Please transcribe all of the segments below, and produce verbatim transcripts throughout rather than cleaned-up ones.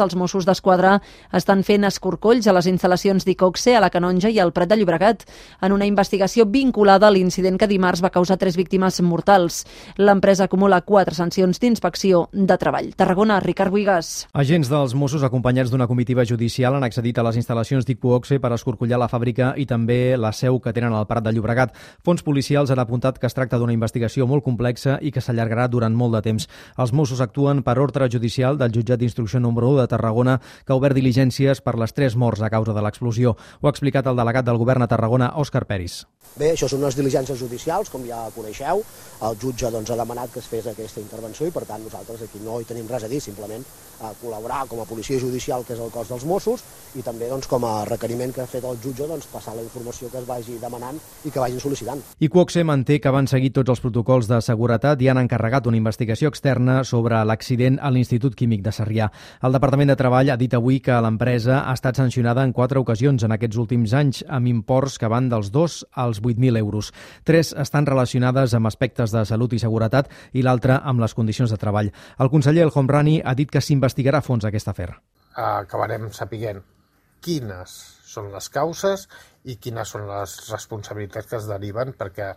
Els Mossos d'Esquadra estan fent escorcolls a les instal·lacions d'Icoxe, a la Canonja i al Prat de Llobregat, en una investigació vinculada a l'incident que dimarts va causar tres víctimes mortals. L'empresa acumula quatre sancions d'inspecció de treball. Tarragona, Ricard Buigas. Agents dels Mossos, acompanyats d'una comitiva judicial, han accedit a les instal·lacions d'Icoxe per escorcollar la fàbrica i també la seu que tenen al Prat de Llobregat. Fons policials han apuntat que es tracta d'una investigació molt complexa i que s'allargarà durant molt de temps. Els Mossos actuen per ordre judicial del jutjat d'instrucció número u de Tarragona, que ha obert diligències per les tres morts a causa de l'explosió. Ho ha explicat el delegat del govern a Tarragona, Òscar Peris. Bé, això són unes diligències judicials, com ja coneixeu. El jutge doncs, ha demanat que es fes aquesta intervenció i, per tant, nosaltres aquí no hi tenim res a dir, simplement a col·laborar com a policia judicial, que és el cos dels Mossos, i també doncs, com a requeriment que ha fet el jutge, doncs, passar la informació que es vagi demanant i que vagin sol·licitant. Icoxe manté que van seguir tots els protocols de seguretat i han encarregat una investigació externa sobre l'accident a l'Institut Químic de Sarrià. El Departament de Treball ha dit avui que l'empresa ha estat sancionada en quatre ocasions en aquests últims anys, amb imports que van dels dos als vuit mil euros. Tres estan relacionades amb aspectes de salut i seguretat i l'altra amb les condicions de treball. El conseller El Homrani ha dit que s'investigarà a fons aquest afer. Acabarem sapiguent quines són les causes i quines són les responsabilitats que es deriven, perquè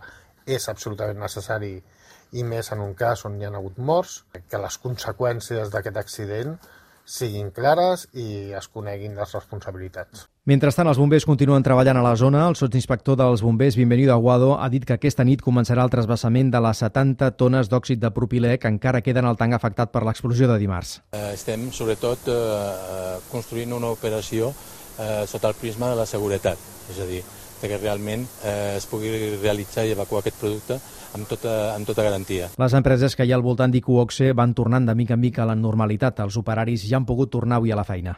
és absolutament necessari, i més en un cas on hi ha hagut morts, que les conseqüències d'aquest accident siguin clares i es coneguin les responsabilitats. Mentrestant, els bombers continuen treballant a la zona. El sotsinspector dels bombers, Bienvenido Aguado, ha dit que aquesta nit començarà el trasbassament de les setanta tones d'òxid de propilè que encara queden al tanc afectat per l'explosió de dimarts. Estem, sobretot, construint una operació sota el prisma de la seguretat, és a dir, que realment es pugui realitzar i evacuar aquest producte amb tota, amb tota garantia. Les empreses que hi ha al voltant d'Icoxe van tornant de mica en mica a la normalitat. Els operaris ja han pogut tornar avui a la feina.